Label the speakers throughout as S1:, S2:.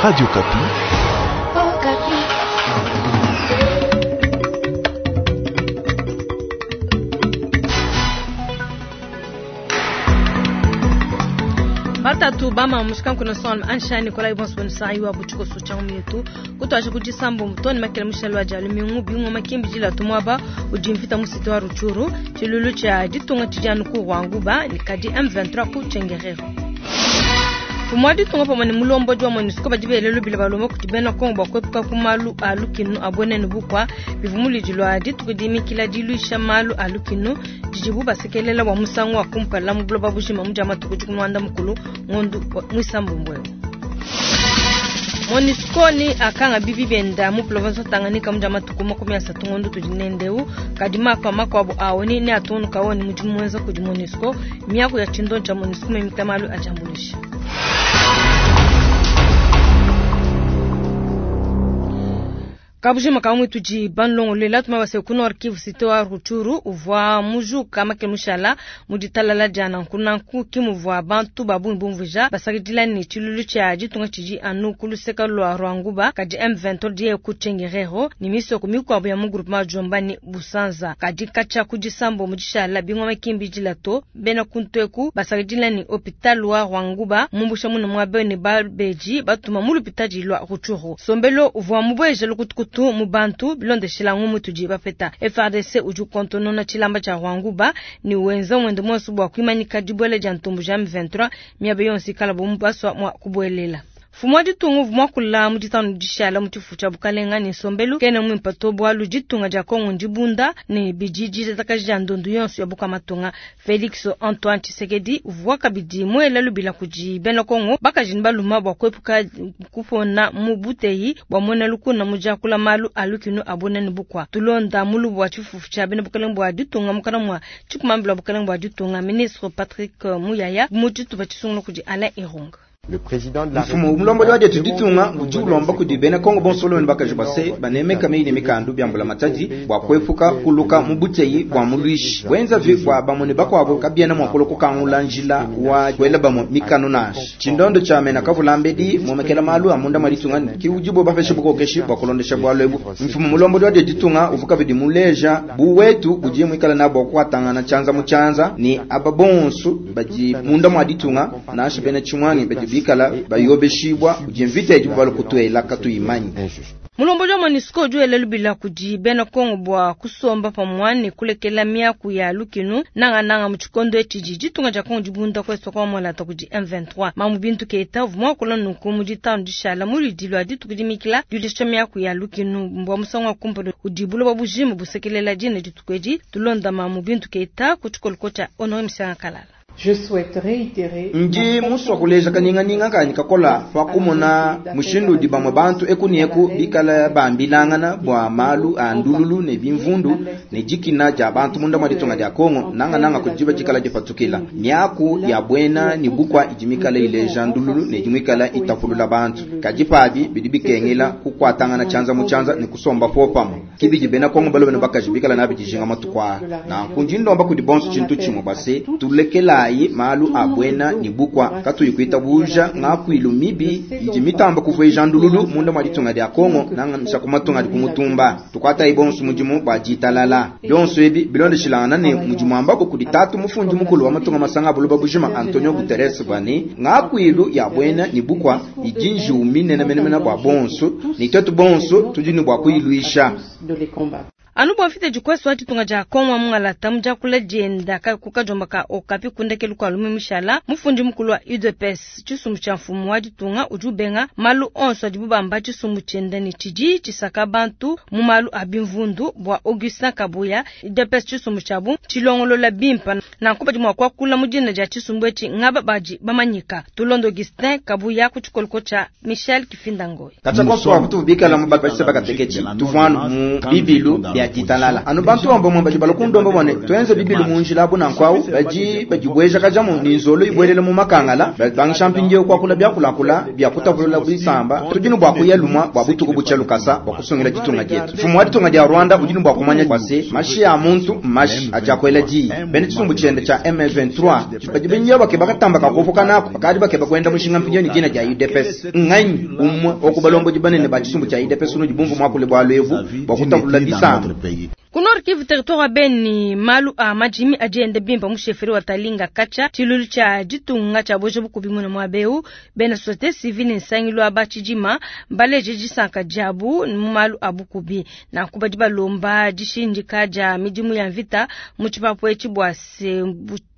S1: Radio Okapi.
S2: Batatu bama mushikanku na son ansha Nikolai bonso bonsa iwa butshiko so cha mietu kutwaje kudisambo mutoni makele mushalo aja lumingu bingo makimbi jila tumwaba udi mvita musite wa Rutshuru tshilulu tsha ditunga tshijanu ku Rwanguba ni kadi M23 ku Tchengerero. Mfumu wa ditunga pamue ne mulombodi wa MONUSCO badi bele lubila balomba kudi bena Kongo bua kuepuka ku malu a lukinu a buena ne bukua bivua mulidi lua dituku dimikila diluisha malu a lukinu didibu basekelela bua musangu wa kumpala mu buloba bujima mu dia matuku dikumi mukulu ngondu muisambombo eu. MONUSCO ni akanga bibi benda mu province wa Tanganyika mu dia matuku 30 ngondu tudi nendeu kadi makwa makuabu awo ni ne atungunuka wo ni mudimu muenza kudi MONUSCO miaku ya tshindo tshia MONUSCO mimita malu a diambuluisha. Kabujima kamwe tudi banlongolela tuma base ku Nord Kivu cité wa Rutshuru uvua mujuka makele mushala mu ditalala dia nanku nanku kimuvua bantu ba bungi bumvuija basakidila ne tshilulu tshia ditunga tshidi anu ku luseka lua Rwanguba kadi M23 diye ku Tchengerero ne misoko mikuabu ya mu groupement Jomba ne Busanza kadi katshia ku disambo mu dishala bingoma kimbi dilato bena kunteku basakidila ne hôpital wa Rwanguba mumbusha muna muabe ne babeji batuma mu lupitadi lua Rutshuru sombelo uvua mubweja lukutukutu mu bantu bilondeshela ngumu tudi bapeta FARDC udi ukontonona tshilamba tshia Rwanguba ni wenza mwende mwonso bua kuimanyika dibuela dia ntumbu ja M23 miaba yonso ikala bo baswa mua kubuelela. Mfumu wa ditunga uvua muakula mu ditanu dishala mu tshifu tshia bukalenga ne nsombelu kena muimpe to bualu ditunga dia Kongo ndibunda ne bidi ditatakaji dia ndondu yonso ya buka matunga. Felix Antoine Tshisekedi uvua kabidi muela lubila kudi bena Kongo bakaji ne baluma bua kuepuka kupona mu buteyi bua muena lukuna mu diakula malu a lukinu a buena ne bukua. Tulonda mulubu wa tshifufu tshia bena bukalenga bua ditunga mukana mua tshikumambila wa bukalenga bua ditunga ministre Patrick Muyaya mu tshitupa tshisungula kudi Alain Irunga.
S3: Le président de la
S4: Mfumu mulombodi wa dietu ditunga udi ulomba kudi bena Kongo bonso ne bakaji base banemeka meyi ne mikandu bia mbula matadi bua kuepuka kuluka mu buteyi bua muluishi bwenza vi bua bamue ne bakuabu kabiena mua kulua kukangula njila wa kuela bamue mikanu nansha. Tshindondo tshia mena kavula mbedi muomekela malu a munda mwa ditunga ki udibo bapeshe bukokeshi bua kulondesha bualu ebu. Mfumu mulombodi wa dietu ditunga uvua kabidi muleja bu wetu budi muikala nabo bua kuatangana tshianza mu tshianza ne aba bonso badi munda mwa ditunga nansha bena tshimwangi badi bikala bayobeshibwa kudi mvita idi bubalu kutuela katuyimanyi.
S2: Mulombodi wa MONUSCO udi wela lubila kudi bena Kongo bua kusomba pamue ne kulekela miaku ya lukinu nangananga mu tshikondo etshi ditunga dia Kongo dibunda kueso kwa molata kudi M23. Mamu Bintu Keita uvua muakula nunku mu ditanu dishala mu ludi lua dituku dimikila diulisha miaku ya lukinu mbua musangu wa kumpala udi buloba bujima busekelela dina dituku edi. Tulonda Mamu Bintu Keita ku tshikoloko tshia Honore Misanga Kalala.
S5: Je souhaite réitérer
S4: Ndi musua kuleja kaninganinga kanyi kakola pa kumona mushindu udi bamue bantu eku ne eku bikala bambilangana bua malu a ndululu ne bimvundu ne dikina dia bantu munda mwa ditunga dia Kongo nangananga kudi diba dikala dipatukila. Miaku ya buena ne bukua idi mikala ileja ndululu ne idi mikala itapulula bantu. Kadi pabi bidi bikengela kukuatangana tshianza mu tshianza ne kusomba popamue. Kibidi bena Kongo balume ne bakaji bikala nabi dijinga matuku aa. Nanku ndi ndomba kudi bonso tshintu tshimue base tulekela ayi malu a buena ne bukua katuyi kuitabuja ngakuilu mibi idi mitamba kuvuija ndululu munda mwa ditunga dia Kongo nanga ku matunga adi kumutumba. Tukuatayi bonso mudimu bua ditalala. Bionso ebi bilondeshilangana ne mudimu ambako kudi tatu mufundi mukulu wa matunga masanga a buloba bujima Antonio Guterres bua ne ngakuilu ya buena ne bukua idi njiwu minene menemene bua bonso ne tuetu bonso tudi ne bua kuyiluisha.
S2: Anu bua mvita dikweso wa ditunga dia Kongo mungalata mu diakula dienda ka ku kajomba ka Okapi kundekelu kua lumu mishala mufundi mukulu wa UDPS tshisumbu tshia mfumu wa ditunga udi ubenga malu onso adibu bamba tshisumbu tshienda ne tshidi tshisaka bantu mu malu a bimvundu bua Augustin Kabuya. UDPS tshisumbu tshiabu tshilongolola bimpa nanku badi mua kuakula mu dina dia tshisumbu etshi ngaba badi bamanyika. Tulondo Augustin Kabuya ku tshikoloko tshia Michel Kifinda Ngoy.
S4: Katshia konso wa kutu bikala mu bapatshisa bakateketshi tuvuanu mu bibilu bia ya ditalala. Anu bantu bamue badi balua kundomba bua ne, tuenze bibilu mu njila abu nanku au, badi badibuejakajamu ne nzolo ibuelela mu makangala, babangisha mpindieu kuakula biakulakula bia kutapulula bisamba. Tudi ne bua kuya lumua bua butuku butshia lukasa bua kusungila ditunga dietu. Mfumu wa ditunga dia Rwanda udi ne bua kumanya bua se, mashi a muntu mmashi adi akuela diyi. Bena tshisumbu tshiende tshia M23 badi mpindieu bakeba katamba ka kuopoka naku, bakadi bakeba kuenda mushinga mpindieu ne dina dia UDPS. Nnganyi umue wa ku balombodi banene ba tshisumbu tshia UDPS unudi bumvue muakule bualu ebu bua kutapulula bisamba?
S2: Ku Nord Kivu, territoire wa Beni, malu a madimi adi enda bimpe mu chefferie wa Talinga katshia tshiluilu tshia ditunga tshia bueja bukubi muine muaba eu. Bena societe civile ne nsangilu wa ba tshidima mbaleje disanka diabu mu malu a bukubi. Nanku badi balomba dishindika dia midimu ya mvita mu tshipapu etshi bua se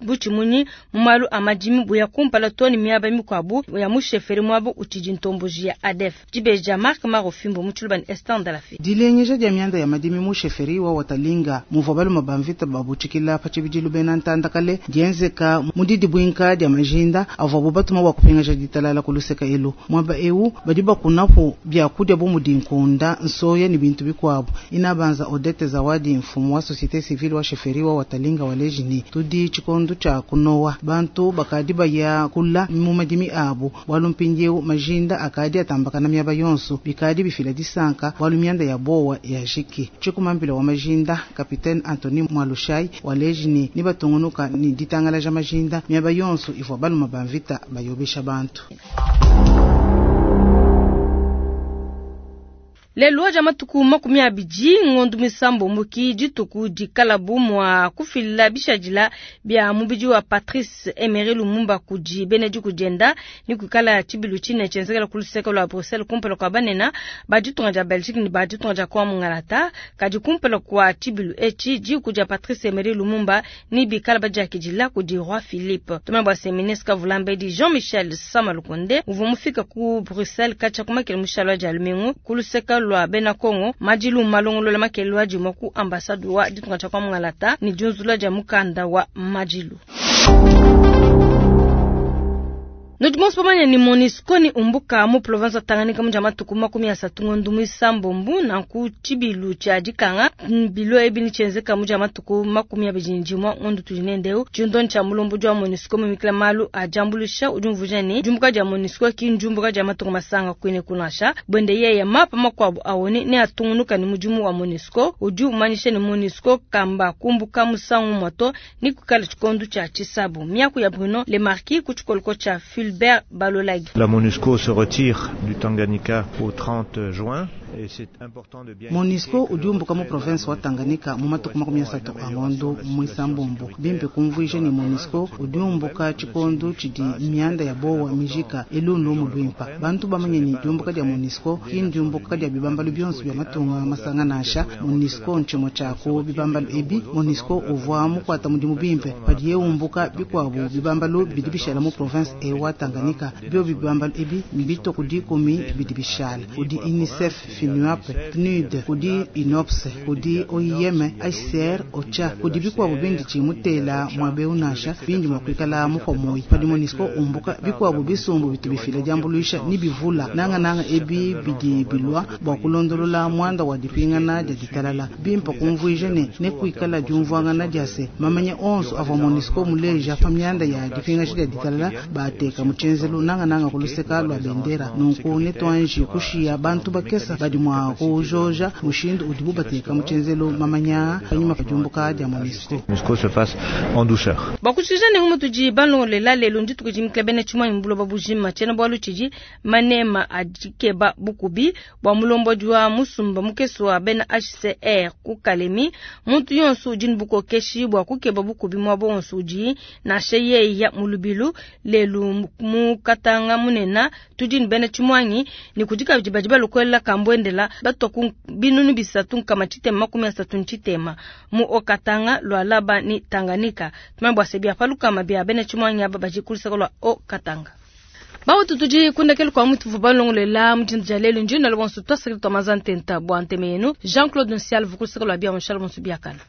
S2: butshimunyi mu malu a madimi buya kumpala too ne miaba mikuabu ya mu chefferie muaba utshidi ntomboji ya ADF. Dibeji dia Marc Maro Fimbo mu Tshiluba ne Esther Ndalafi.
S1: Dilengeja dia mianda ya madimi mu chefferie wa Watalinga muvua balume ba mvita babutshikila pa tshibidilu bena ntanda kale dienzeka mu didibuinka dia majinda avuabu batuma bua kupingaja ditalala ku luseka elu. Muaba eu badi bakunapu biakudia bu mudi nkunda, nsoya ne bintu bikuabu. Inabanza Odette Zawadi, mfumu wa societe civile wa chefferie wa Watalinga waleji ne tudi tshikondo tshia kunowa bantu bakadi baya kula mu madimi abu bualu mpindieu majinda akadi atambakana miaba yonso bikadi bifila disanka bualu mianda ya bowa ya jiki. Tshikumambila wa majinda Capitaine Anthony Mwalushai waleji ne nibatungunuka ne ditangalaja majinda miaba yonso ivua baluma ba mvita bayobesha bantu.
S2: Lelu wa matuku 20 ngondo misambombo ki dituku dikalabu mua kufila bishadila bia mubidi wa Patrice Emery Lumumba kudi bena diku dienda ni kuikala tshibilu tshine tshienzekela ku luseke lua Bruxelles kumpala kua banene ba ditunga dia Belgique ne ba ditunga dia Kongo Mungalata. Kadi kumpala kua tshibilu etshi diku dia Patrice Emery Lumumba ni bikala badiakidila kudi Roi Philippe. Tumanye bua se ministre Kavulambedi Jean-Michel Sama Lukonde uvua mufika ku Bruxelles katshia kumakela mushalo wa dia lumingu ku luseke lua bena Kongo madilu malongolola makelelo adimua ku ambassade wa ditunga dia Kongo Mungalata ne diunzula dia mukanda wa madilu. Nudi bonso bamanye ni MONUSCO ni umbuka mu province ya Tanganyika mu dia matuku 30 ngondo muisambombo nanku tshibilu tshia dikanga bilo ebi ni tshienzeka mu dia matuku 21 ngondo tudi nendeu. Tshindoni tshia mulombodi wa MONUSCO mumikila malu a diambuluisha udi umvuija ne diumbuka dia MONUSCO ki ndiumbuka dia matuku masanga kuine kunasha bwende yeye mapa makuabu awone ne atungunuka ni mudimu wa MONUSCO udi umanyisha ne MONUSCO kamba kumbuka musangu moto ni kukala tshikondo tshia tshisabu. Miaku ya Bruno Lemarquis ku tshikoloko tshia Fulbert Balolagi.
S3: La MONUSCO se retire du Tanganyika au 30 juin. Et c'est important de bien
S1: MONUSCO udi umbuka mu province wa Tanganyika mu matuku 30 a ngondo mwisambombo bimpe kumvuija ne MONUSCO udi umbuka tshikondo tshidi mianda ya bowa mijika elundu mu lwimpa. Bantu bamanye ne diumbuka dia MONUSCO ki ndiumbuka dia bibambalu bionso bia matunga masanga nansha. MONUSCO ntshimue tshia ku bibambalu ebi. MONUSCO uvua mukuata mudimu bimpe padiye umbuka bikuabu bibambalu bidi bishala mu province e wa Tanganyika. Bio bibambalu ebi mbito ku dikumi bidi bishala kudi UNICEF, FINUAP, PNUD, kudi UNOPS, kudi OIM, HCR, OCHA, kudi bikuabu bindi tshimutela muabe unasha bindi mua kuikala mukomoyi. Padi MONUSCO umbuka bikuabu bisumbu bitu bifila diambuluisha ni bivula nanga nanga ebi bidi bilua bua kulondolola muanda wa dipingana dia ditalala bimpe kumvuija ne ne kuikala diumvuangana dia se mamanya onso avua MONUSCO muleja pa mianda ya dipingaja dia ditalala bateka mu tshenzelu nanga nanga kuluseka lua bendera. Nunku ne tuanji kushiya bantu bakesa badi mua kujoja mushindu udibu bateka mu tshenzelu mamanya panyima pa diumbuka dia MONUSCO.
S3: MONUSCO se fasse en douceur.
S2: Bakushija ne ngumu tudi balongolela lelu ndituku dimikila bena tshimwanyi buloba bujima tshiena bualu tshidi manema adikeba bukubi bua mulombodi wa musumba mukese wa bena HCR ku Kalemi. Muntu yonso udi ne bukokeshi bua kukeba bukubi muaba wonso udi nansha yeya mu lubilu. Lelu mu Katanga munena tudi ne bena tshimwanyi ne kudi kabidi badi balokolela kambwendela batwa ku binunu bisatu nkama tshitema makumi asatu ntshitema mu Okatanga Lualaba ni Tanganyika. Tumanye bua se bia palukama bia bena tshimwanyi aba badi kulusaka lua Okatanga. Bautu tudi kundekele kwa mutu vuba longolela mutindi dia lelu njina lo bonso twasakile twa mazantenta bua nteme yenu. Jean-Claude Nsial vukulusaka lua bia Michel Bonso biakana.